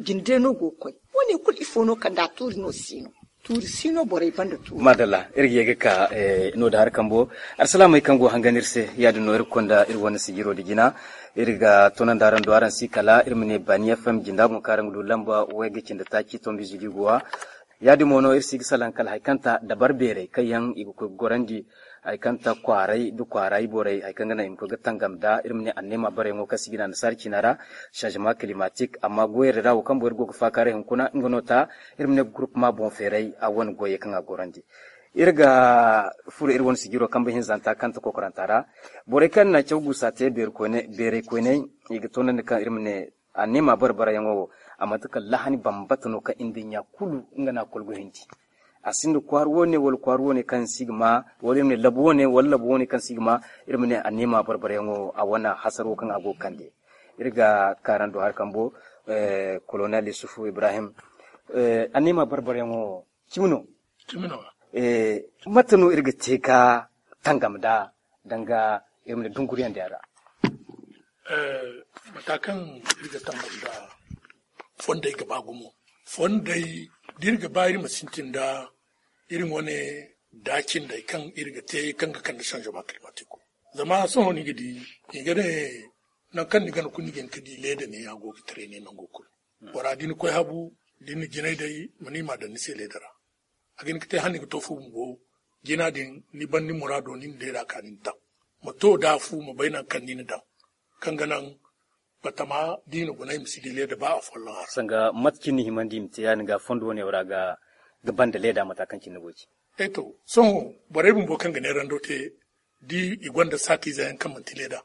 Jinde no go ga koy wane kulu ifo no kanda tuuri no si no. Tuuri si no borey banda tuuri. Madalla. Iri ga ye ga ka no da hari kambo. Alsalaamey kaŋ go hangan iri se ya- din no iri ga konda iri wane sijiro da jina. Iri ga tonandi araŋ do araŋ si kala iri ma ne baani fm jinda boŋ kaŋ araŋ ga du lamba way ga cindi taaci tombi zili guwa. Ya- din mo no iri si ga salaŋ kala hari kaŋ ta dabar beerey kaŋ yaŋ i ga koy ga gorandi hari kaŋ ta kwaaray da kwaara iborey hari kaŋ ga naŋ i ma koy ga tangam nda iri ma ne anneema bareyaŋo kaŋ si ga ne annasaara ciina ra. Changement climatique amma goyey ra wo kaŋ boro iri go ga faakaaray hunkuna nga no ta iri ma ne groupement boŋ feeray a wane goyey kaŋ a gorandi. Iri ga furo iri wane sijiro kambe hinzanta kaŋ ta kokoranta ra. Borey kaŋ na caw guusa te beeray koyney i ga toonandi kaŋ iri ma ne anneema barbarayaŋo wo a manti kala lahani bambata no kaŋ iri nda ɲa kulu nga no a kolgo hindi. A sinda kwaara woone wala kwaara woone kaŋ si ga ma wala iri ma ne labu woone wala labu woone kaŋ si ga ma. Iri ma ne anneema barbarayaŋo a wane hasaro kaŋ a go ga kande. Iri ga kaarando hari kambo. Kolonel yusufu ibrahim, anneema barbarayaŋo cimi no? Mate no iri ga te ga tangam nda danga iri ma ne dunguriyaŋ din ra? Mata kaŋ iri ga tangam nda fondey ga ba gumo. Fondey da iri ga ba iri ma sintin nda iri wane daacindey kaŋ iri ga te kaŋ ga kande changement climatique. Zama sohõ ni ga di, i ga ne, nangu kaŋ ni gana kulu ni ga hin ka di leeda ne a go ga taray ne nango kulu. Bora da ni koy habu, da ni na jinay day, ma ni ma daŋ ni se leeda ra. A ga hin ka te hala ni ga to fu bumbo, jina din ni ban ni muraado ni na leeda ka ni na daŋ. Ma to da fu, ma bay nangu kaŋ ni na daŋ. Kaŋ ga naŋ batama da i na guna i ma si di leeda ba a folloŋ a ra. Sanga mate cine ni himandi i ma te yaadin ga fondo wane ra ga banda leeda mata kaŋ cine ni go ga ci. E to, sohõ borey bumbo kaŋ ga neerando te, da i gonda saatiize yaŋ kaŋ manti leeda,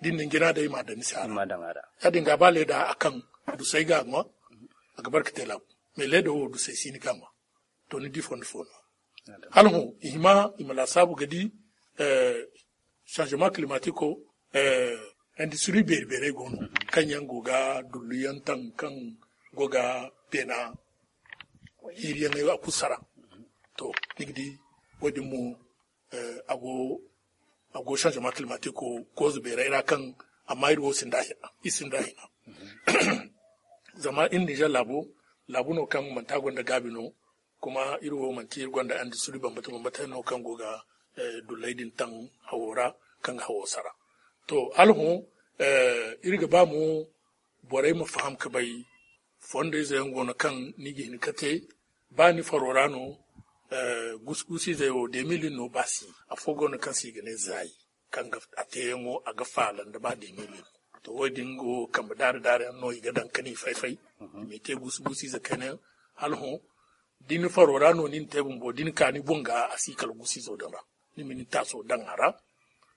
da i na ni jina day i ma a daŋ ni se a ra. Yaadin ga ba leeda a kaŋ dusay ga a ŋwa, a ga bare ka te laabu. Mais leeda wo dusay si ni ga a ŋwa. To ni di fondo fo no. Hala hõ i hima i ma laasaabu ga di, eh, changement climatique o, eh, industrie beeri beerey go no, kaŋ yaŋ go ga dullu yaŋ taŋ, kaŋ go ga beena hiiri yaŋ a kulu sara. To ni ga di wo-din mo, eh, a go a go changement climatique o cause beerey ra kaŋ, amma iri wo sinda hina, iri sinda hina. Zama iri Niger laabo, laabu no kaŋ manti a gonda gaabi no, kuma iri wo manti iri gonda industrie bambata bambata no kaŋ go ga, eh, dulley din taŋ hawo ra, kaŋ ga hawo sara. To hala hõ, eh, iri ga ba mo borey ma faham ka bay, fondayze yaŋ go no kaŋ ni ga hin ka te, ba ni faro ra no, eh, gusu-gusu izey wo deux mille no ba si, afo go no kaŋ se i ga ne zaayi, kaŋ ga a teeyaŋo a ga faala nda ba deux mille. To wo-din go kambe daari daari yaŋ no i ga daŋ ka ni fay-fay, i ma te gusu-gusu ize kayna yaŋ. Hala hõ da ni faro ra no ni na te bumbo, da ni ka ni boŋ ga a si kala gusu izo daŋ ra, ni ma ni taaso daŋ a ra,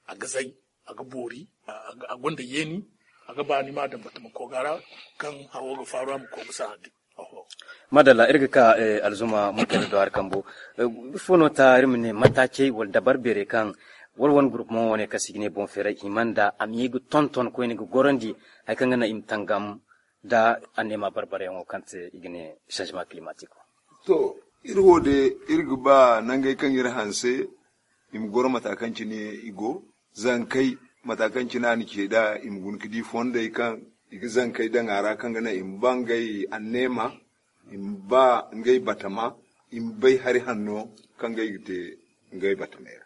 a ga zay, a ga boori, a, a, a gonda yeeni, a ga ba ni ma daŋ batama koga ra, kaŋ hawo ga faaru a ma koy ga sahã din. Oho. Madalla, iri ga ka, eh, alzuma mutari do hari kambo. Eh, ifo no ta iri ma ne mataacey wala dabar beerey kaŋ wala wane gurupuma wane kaŋ se i ga ne boŋ feeray i mana da a ma ye ga tonton koyne ga gorandi hari kaŋ ga naŋ i ma tangam da anneema barbaryaŋo kaŋ te i ga ne changement climatique. To, iri wo de, iri ga ba nangey kaŋ iri hanse, i ma goro mata kaŋ cine i go. Zankey, mata kaŋ cine a na ce nd'a, i ma guna ga di fondey kaŋ i ga zankey daŋ a ra, kaŋ ga naŋ i ma ba ngey anneema, i ma ba ngey batama, i ma bay hari hanno kaŋ ngey ga te ngey batamey ra.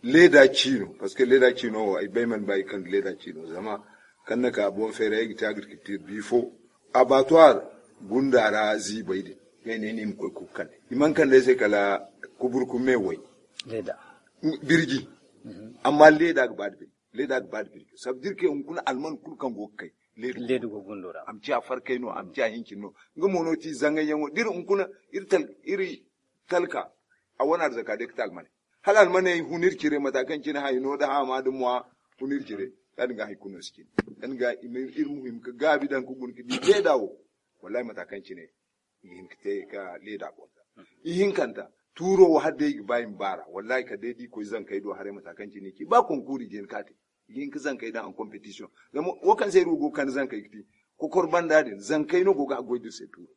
Leeda ciino, parce que leeda ciino wo, ay bay man ba i kande leeda ciino, zama kaŋ na ka boŋ feeray ay ga te agriculture bi fo, abattoir gunda ra ziibay din, ngey ne ni ma koy ga kande. I mana kande ay se kala kuburkume way. Leeda. Birji. Amma leeda ga ba da birji. Leeda ga ba da birji. Ça veut dire que hunkuna alman kulu kaŋ go ga kay, leeda go gundo ra. A ma ciya farkay no, a ma ciya hincin no. Nga mo no ti zangayyaŋo. D'iri hunkuna, iri tal-, iri talka, a wane arzaka day ga te almaney. Hala almaney hun iri cire, mata kaŋ cine hayno da haama da mwa hun iri cire. Yaadin ga hay kulu no si cine. Yaadin ga i ma iri, iri muhim ga gaabi daŋ ga guna ga di leeda wo. Wallahi mata kaŋ cine i ga hin ga te ga leeda gonda. Ihinkanta, tuuro wo hala day i ga ba i ma baar'a. Wallahi kala day da i koy zankey do haray mata kaŋ cine i ci. Ba konkuuri i ga hin ga te. I ga hin ga zankey daŋ en competition. Zama wo kaŋ se iri wo go ga kande zankey ga ti, kokor banda din, zankey no go ga haggoy d'iri se tuuro.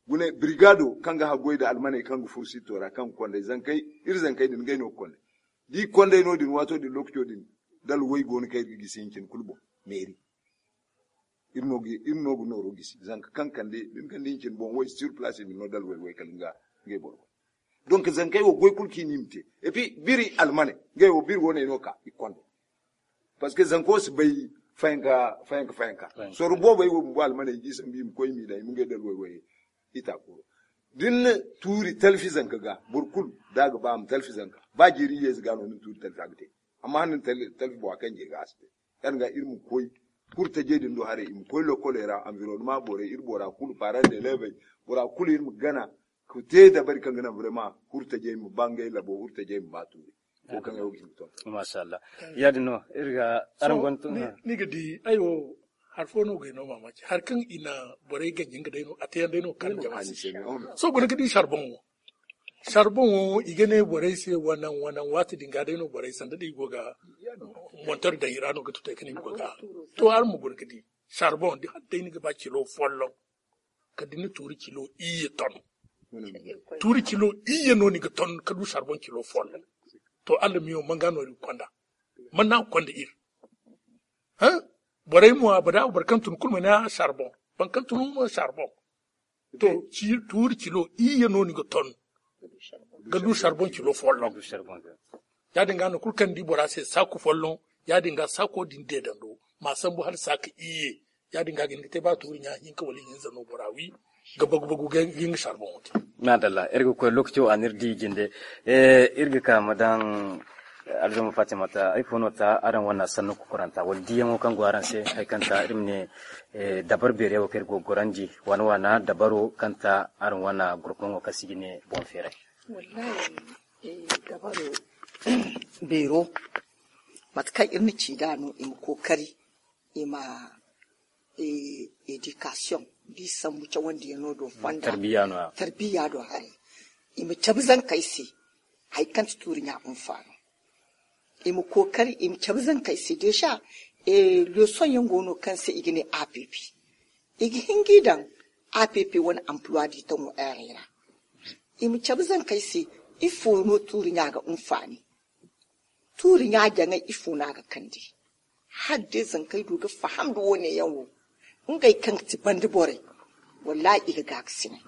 Gune, brigado kaŋ ga haggoy nda almaney kaŋ ga furo sitto ra, kaŋ ga konday zankey, iri zankey din, ngey no ga konday. Da i ga konday no-din, waato din, lookaco din, dalwey go no kaŋ iri ga gisi hincin kulu boŋ, meeri. Iri no ga, iri no ga nooro gisi. Zanka kaŋ kande, da ni kande hincin boŋ, way sur place, i ma ni no dalwey way kala nga, ngey boro. Donc, zankey wo goy kulu kaŋ i ne i ma te. Et puis, biri almaney, ngey wo biri wane no ka, i ga konday. Parce que zanko si bay fayanka, fayanka, fayanka. Fayanka. Soro boobey wo bumbo almaney i ga i sambu i ma koy i m'i daŋ, i ma ngey dalwey way i taakuro. Da ni na tuuri talfi zanka ga, boro kulu da a ga ba a ma talfi zanka. Ba jiiri iyye ize ga no ni na tuuri talfi a ga te. Amma hala ni na tal-, talfi boŋ a kaŋ je ga a si te. Yaadin ga iri ma koy kurtajey din do haray, i ma koy lokoley ra, environnement borey, iri bora kulu, parents d'élèves, bora kulu iri ma gana, ka te dabari kaŋ ga naŋ vraiment hurtajey ma ba ngey labo, hurtajey ma ba tuuri. Wo kaŋ ay wo ga hin ga tonton. Masha Allah. Yaadin no, iri ga araŋ gonda ni ga di, ay wo, hari fo no go ay no maamaaci. Hari kaŋ i na borey ganji nga day no, a te yaŋ day no kaŋ jama si. Sohõ guna ga di charbon wo. Charbon wo, i ga ne borey se wanaŋ, wanaŋ waati din ga day no borey sanda da i go ga montor daŋ i ra no ga tutay kaŋ i go ga. To, araŋ ma guna ga di. Charbon, da hala day ni ga ba kilo folloŋ. Kala da ni tuuri kilo iyye ton. Tuuri kilo iyye no ni ga ton ka du charbon kilo folloŋ. To, Alla miyo, man ga no iri ga konda? Man no a ga konda iri? Hã? Borey mo, abada, boro kaŋ tun kulu ma ne a charbon. Boro kaŋ tun mo charbon. To, ci-, tuuri kilo iyye no ni ga ton ka du charbon kilo folloŋ. Ya- din ga no kulu kaŋ ni di bora se saaku folloŋ. Ya- din ga saako din deedando ma sambu hala saaka iyye. Ya- din ga ga hin ga te ba tuuri ɲa hinka wala hinza no bora wi ga bagu bagu ga hin ga sarboŋo te. Maadalla, iri ga koy lookaco a n'iri di jinde. Iri ga ka ma daŋ alzuma fatimata ay fo no ta araŋ wane sannu kokoranta wala diyaŋo kaŋ go araŋ se hari kaŋ ta iri ma ne dabar beeriyaŋ wo kaŋ iri go ga gorandi waana waana dabaro kaŋ ta araŋ wane gurkumaŋo kaŋ se i ga ne boŋ feeray. Wallahi, dabaro beero mate kaŋ iri na ci nd'a no i ma kookari i ma edikasiyoŋ da i sambu cawandiyaŋo do fonda tarbiya do haray. I ma cabe zankey se hari kaŋ ti tuuri ɲa hunfaano. I ma kookari i ma cabe zankey se deesa. Leesoŋ yaŋ go no kaŋ se i ga ne app i ga hin ga i daŋ app wane ampuluwa di taŋo eerey ra. I ma cabe zankey se ifo no tuuri ɲa ga hunfaani? Tuuri ɲa jaŋay ifo no a ga kande? Hala day zankey du ga faham nda wo- ne yaŋ wo ngey kaŋ ga ti banda borey. Wallaahi i ga gaakasinay.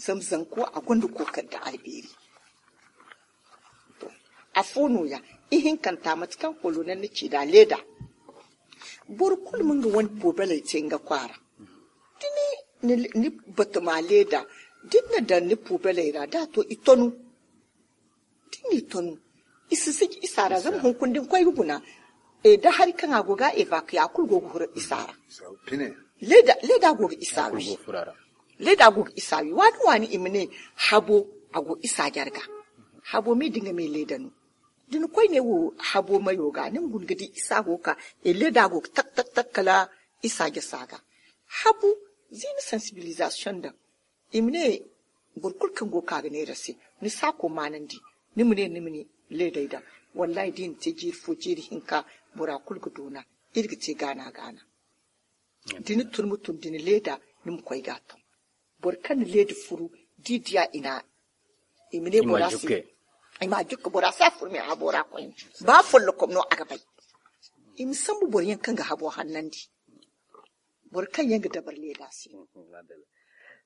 Zama zanko a gonda kookari nda albeeri. Afo no- ya ihinkanta mate kaŋ kolonel na ci nd'a leeda. Boro kulu ma nga wane poobeley te nga kwaara da ni batu ma leeda da ni na daŋ ni poobeley ra da a to i tonu. Da ni tonu i si siji isa ra zama hunkuna da ni koy ga guna. Da hari kaŋ a go ga evakuya a kulu go ga huru isa ra. Leeda go ga isa wi. Leeda go ga isa wi waani waani i ma ne habo a go isa jarga. Habo me da nga me leeda no da ni koy ne wo habo mayo ga ni ma guna ga di isa go ga ka leeda go ga tak tak tak kala isa jasa ga. Habu ziini sansibilizasiyoŋ daŋ i ma ne boro kulu kaŋ go ga ka ga neera se ni saako maanandi ni ma ne ni ma ni leedey daŋ. Wallaahi da i na te jiiri fo jiiri hinka bora kulu ga doona iri ga te gaana gaana. Da ni tun ma tun da ni leeda ni ma koy ga a taŋ. Boro kaŋ na leeda furu da i diya i na i ma ne bora se i ma a jukka bora se a furu me a habo ra koyne. Ba follokom no a ga bay. I ma sambu boro yaŋ kaŋ ga habo hannandi boro kaŋ yaŋ ga dabar leeda se.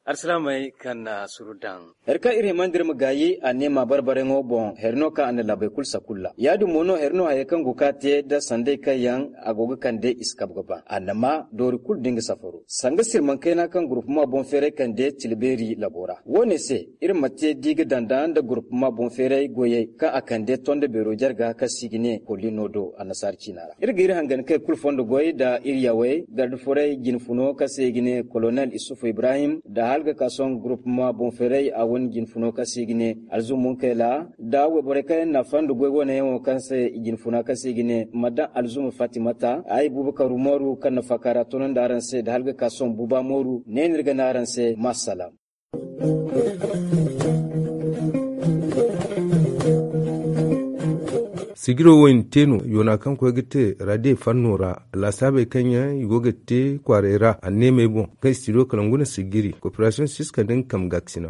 Alsilaamey kaŋ na suru daŋ. Hari kaŋ iri himandi iri ma gaayi a ne ma barbarayŋo boŋ hari no kaŋ a na laabey kulu sakulla ya- din mo no hari no hayey kaŋ go ga ka te nda sanday kaŋ yaŋ a go ga kande i si kabe ga ba annama doori kulu da nga safaro sanga sirmankayna kaŋ gurupuma boŋ feeray kande tila beeri labo ra. Wo- ne se iri ma te di ga danda nda gurupuma boŋ feeray goyey kaŋ a kande tonda beero jarga kaŋ se i ga ne kolino do annasaara ciina ra. Iri ga iri hangan kay kulu fondo goy nda iri yawey garda furay jinfuno kaŋ se i ga ne kolonel isufu ibrahim nda hala ga ka sohõ gurupuma boŋ feeray a wane jinfuno kaŋ se i ga ne alzum munkayla nda wayborey kaŋ yaŋ na fando goy wane yaŋo kaŋ se i jinfuna kaŋ se i ga ne madam alzum fatimata ay bubakar umaru kaŋ na faaka ra tono nda araŋ se nda hala ga ka sohõ buba mooru ne no iri ga ne araŋ se ma assalaam. Sijiro wo i na te no yoona kaŋ koy ga te radiyo fanno ra laasaabey kaŋ yaŋ i go ga te kwaaray ra anneemey boŋ kaŋ studio kalangu na sijiri koperasiyoŋ siska nda nga kambe gaakasina.